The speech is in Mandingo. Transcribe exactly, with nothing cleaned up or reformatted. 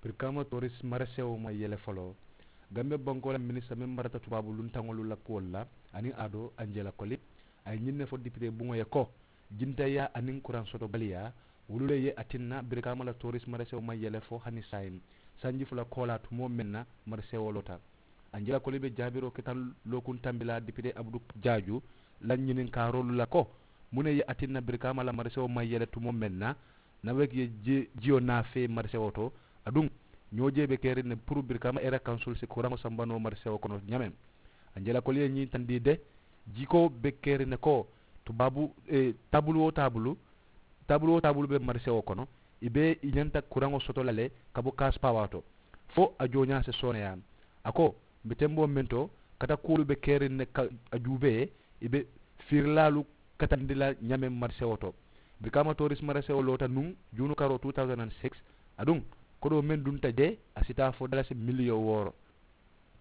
Birikaama tooris maresewo maŋ yele foloo. Gambiya bankoo la minisita meŋ marata tubaabu luntaŋolu la kuwolu la aniŋ a do anjela koli, a ye ñiŋ ne fo dipitee buŋo ye ko jintayaa aniŋ kuraŋ soto baliyaa wolu le ye a tinna birikaama la tooris maresewo maŋ yele fo hani saayiŋ sanji fula koolaa tumoo meŋ na maresewo loota. Anjela koli be jaabiroo ke taŋ lookuŋ tambilaa dipitee abudu jaaju la ñiniŋ kaaroolu la ko muŋ ne ye a tinna birikaama la maresewo maŋ yele tumoo meŋ na nawek ye jiyo naafee marisewoo to. Aduŋ ñoo jee be keriŋ ne puru birikaama era kansul si kuraŋo sambanoo marisewoo kono ñameŋ. Anjela koli ye ñiŋ tandii de jikoo be keriŋ ne ko tubaabu taabulu wo taabulu taabulu wo taabulu be marisewoo kono i be i ñanta kuraŋo soto la le ka bo kaasi paawaa to fo a jooñaa si sooneyaa. A ko mbe temboo meŋ to kata kuwolu be keriŋ ne ka a juubee i be fiirilaalu katandi la ñameŋ marisewoo to. Birikaama tooris marisewoo loota nuŋ juunu karoo two thousand and six. Aduŋ kodoo meŋ dunta jee a si taa fo dalasi miliyoŋ wooro.